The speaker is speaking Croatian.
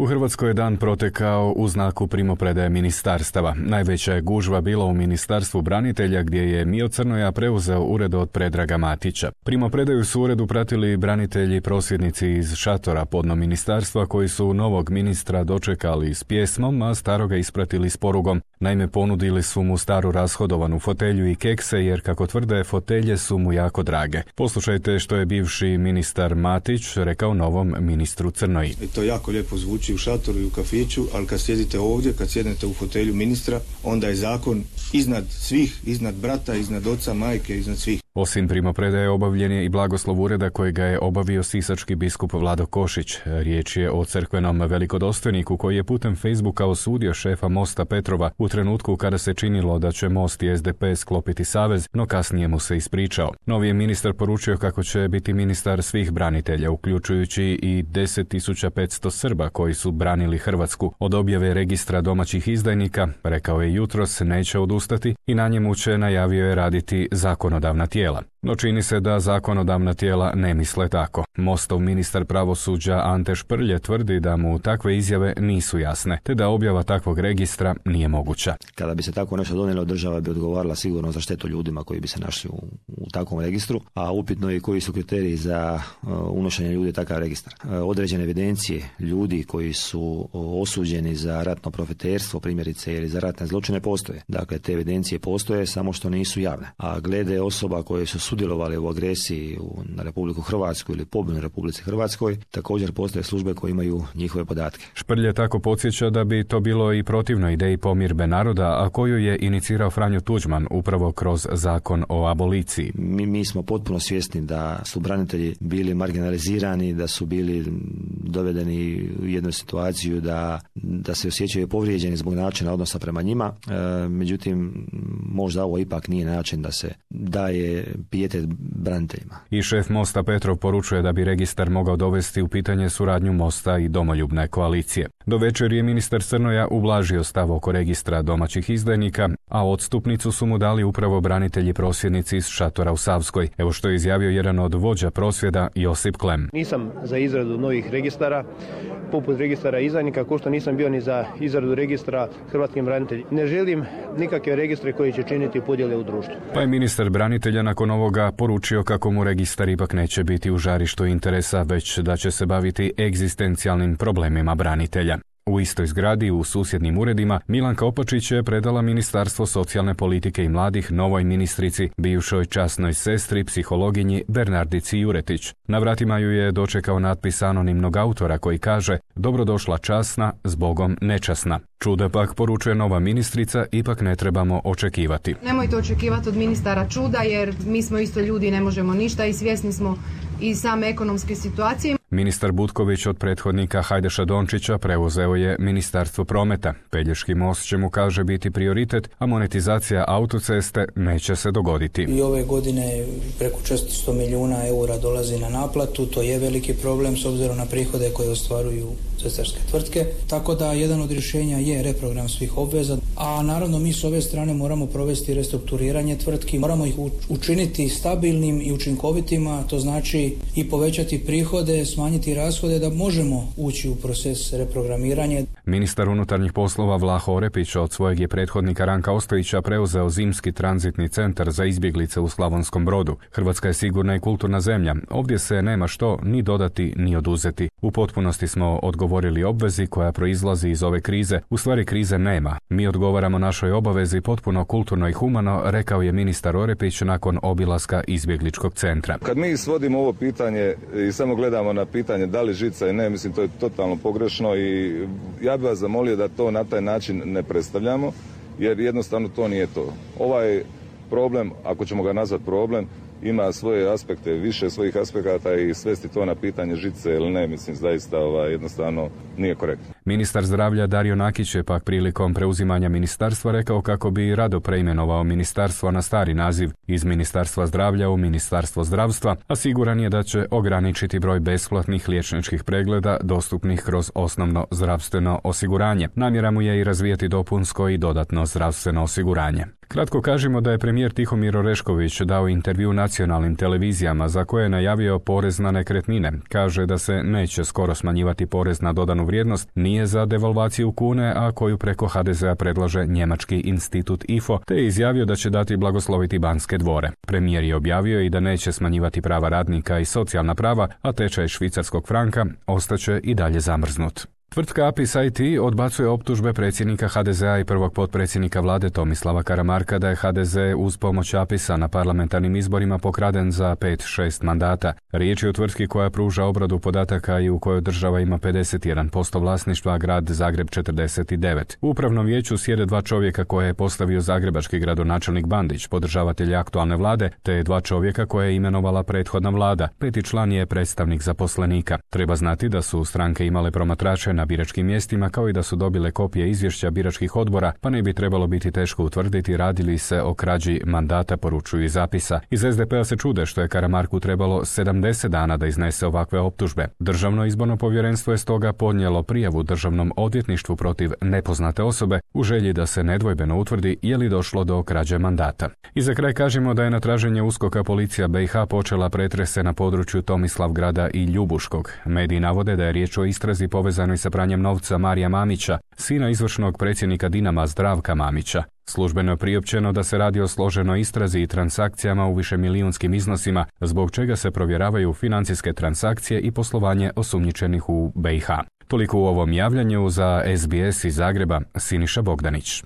U Hrvatskoj je dan protekao u znaku primopredaje ministarstava. Najveća je gužva bila u Ministarstvu branitelja gdje je Mio Crnoja preuzeo ured od Predraga Matića. Primopredaju su uredu pratili branitelji prosvjednici iz šatora podno ministarstva koji su novog ministra dočekali s pjesmom, a staroga ispratili s porugom. Naime, ponudili su mu staru rashodovanu fotelju i kekse jer, kako tvrde, fotelje su mu jako drage. Poslušajte što je bivši ministar Matić rekao novom ministru Crnoji. To jako lijepo zvuči u šatoru i u kafiću, ali kad sjedite ovdje, kad sjednete u fotelju ministra, onda je zakon iznad svih, iznad brata, iznad oca, majke, iznad svih. Osim primopredaje obavljen je i blagoslov ureda kojega je obavio sisački biskup Vlado Košić. Riječ je o crkvenom velikodostojniku koji je putem Facebooka osudio šefa Mosta Petrova u trenutku kada se činilo da će Most i SDP sklopiti savez, no kasnije mu se ispričao. Novi je ministar poručio kako će biti ministar svih branitelja, uključujući i 10.500 Srba koji su branili Hrvatsku. Od objave registra domaćih izdajnika, rekao je jutros, neće odustati i na njemu će, najavio je, raditi zakonodavna tijela. No čini se da zakonodavna tijela ne misle tako. Mostov ministar pravosuđa Ante Šprlje tvrdi da mu takve izjave nisu jasne, te da objava takvog registra nije moguća. Kada bi se tako nešto donijelo, država bi odgovarala sigurno za štetu ljudima koji bi se našli u takvom registru, a upitno je koji su kriteriji za unošenje ljudi u takav registar. Određene evidencije ljudi koji su osuđeni za ratno profiterstvo, primjerice, ili za ratne zločine postoje. Dakle, te evidencije postoje, samo što nisu javne. A glede osoba koje su sudjelovali u agresiji na Republiku Hrvatsku ili pobunu Republici Hrvatskoj, također postoje službe koje imaju njihove podatke. Šprlje tako podsjeća da bi to bilo i protivno ideji pomirbe naroda, a koju je inicirao Franjo Tuđman upravo kroz zakon o aboliciji. Mi smo potpuno svjesni da su branitelji bili marginalizirani, da su bili dovedeni u jednu situaciju da se osjećaju povrijeđeni zbog načina odnosa prema njima. Međutim, možda ovo ipak nije način da se daje pijetet braniteljima. I šef Mosta Petrov poručuje da bi registar mogao dovesti u pitanje suradnju Mosta i Domoljubne koalicije. Do večer je ministar Crnoja ublažio stav oko registra domaćih izdajnika, a odstupnicu su mu dali upravo branitelji prosvjednici iz šatora u Savskoj. Evo što je izjavio jedan od vođa prosvjeda, Josip Klem. Nisam za izradu novih registara, poput registara izdajnika, kao što nisam bio ni za izradu registra hrvatskim braniteljima. Ne želim nikakve registre koji će činiti podjele u društvu. Pa je ministar branitelja nakon ovoga poručio kako mu registar ipak neće biti u žarištu interesa, već da će se baviti egzistencijalnim problemima branitelja. U istoj zgradi, u susjednim uredima, Milanka Opačić je predala Ministarstvo socijalne politike i mladih novoj ministrici, bivšoj časnoj sestri, psihologinji Bernardici Juretić. Na vratima ju je dočekao natpis anonimnog autora koji kaže: "Dobrodošla časna, zbogom nečasna." Čuda pak, poručuje nova ministrica, ipak ne trebamo očekivati. Nemojte očekivati od ministara čuda, jer mi smo isto ljudi, ne možemo ništa i svjesni smo i same ekonomske situacije. Ministar Butković od prethodnika Hajdaša Dončića preuzeo je Ministarstvo prometa. Pelješki most će mu, kaže, biti prioritet, a monetizacija autoceste neće se dogoditi. I ove godine preko 400 milijuna eura dolazi na naplatu, to je veliki problem s obzirom na prihode koje ostvaruju cestarske tvrtke. Tako da jedan od rješenja je reprogram svih obveza, a naravno mi s ove strane moramo provesti restrukturiranje tvrtki, moramo ih učiniti stabilnim i učinkovitima, to znači i povećati prihode, smanjiti rashode da možemo ući u proces reprogramiranja. Ministar unutarnjih poslova Vlaho Orepić od svojeg je prethodnika Ranka Ostojića preuzeo zimski tranzitni centar za izbjeglice u Slavonskom Brodu. Hrvatska je sigurna i kulturna zemlja. Ovdje se nema što ni dodati ni oduzeti. U potpunosti smo odgovorili obvezi koja proizlazi iz ove krize. U stvari krize nema. Mi odgovaramo našoj obavezi potpuno kulturno i humano, rekao je ministar Orepić nakon obilaska izbjegličkog centra. Kad mi svodimo ovo pitanje i samo gledamo na pitanje da li žica i ne, mislim to je totalno pogrešno i ja bih vas zamolio da to na taj način ne predstavljamo, jer jednostavno to nije to. Ovaj problem, ako ćemo ga nazvati problem, ima svoje aspekte, više svojih aspekata i svesti to na pitanje žice ili ne, mislim zaista jednostavno nije korektno. Ministar zdravlja Dario Nakić je pak prilikom preuzimanja ministarstva rekao kako bi rado preimenovao ministarstvo na stari naziv iz Ministarstva zdravlja u Ministarstvo zdravstva, a siguran je da će ograničiti broj besplatnih liječničkih pregleda dostupnih kroz osnovno zdravstveno osiguranje. Namjera mu je i razvijati dopunsko i dodatno zdravstveno osiguranje. Kratko kažemo da je premijer Tihomir Orešković dao intervju nacionalnim televizijama za koje je najavio porez na nekretnine. Kaže da se neće skoro smanjivati porez na dodanu vrijednost, nije nije za devalvaciju kune, a koju preko HDZ-a predlaže njemački institut IFO, te je izjavio da će dati blagosloviti Banske dvore. Premijer je objavio i da neće smanjivati prava radnika i socijalna prava, a tečaj švicarskog franka ostaće i dalje zamrznut. Tvrtka Apis IT odbacuje optužbe predsjednika HDZ-a i prvog potpredsjednika vlade Tomislava Karamarka da je HDZ uz pomoć Apisa na parlamentarnim izborima pokraden za 5-6 mandata. Riječ je o tvrtki koja pruža obradu podataka i u kojoj država ima 51% vlasništva, a grad Zagreb 49%. U upravnom vijeću sjede 2 čovjeka koje je postavio zagrebački gradonačelnik Bandić, podržavatelj aktualne vlade, te 2 čovjeka koje je imenovala prethodna vlada. 5. član je predstavnik zaposlenika. Treba znati da su stranke imale promatrače na biračkim mjestima, kao i da su dobile kopije izvješća biračkih odbora, pa ne bi trebalo biti teško utvrditi radi li se o krađi mandata, poručuju iz Apisa. Iz SDP-a se čude što je Karamarku trebalo 70 dana da iznese ovakve optužbe. Državno izborno povjerenstvo je stoga podnijelo prijavu Državnom odvjetništvu protiv nepoznate osobe u želji da se nedvojbeno utvrdi je li došlo do krađe mandata. I za kraj kažemo da je na traženje USKOK-a policija BiH počela pretrese na području Tomislavgrada i Ljubuškog. Mediji navode da je riječ o istrazi povezanoj sa pranjem novca Marija Mamića, sina izvršnog predsjednika Dinama Zdravka Mamića. Službeno je priopćeno da se radi o složenoj istrazi i transakcijama u višemilijunskim iznosima, zbog čega se provjeravaju financijske transakcije i poslovanje osumnjičenih u BiH. Toliko u ovom javljanju. Za SBS iz Zagreba, Siniša Bogdanić.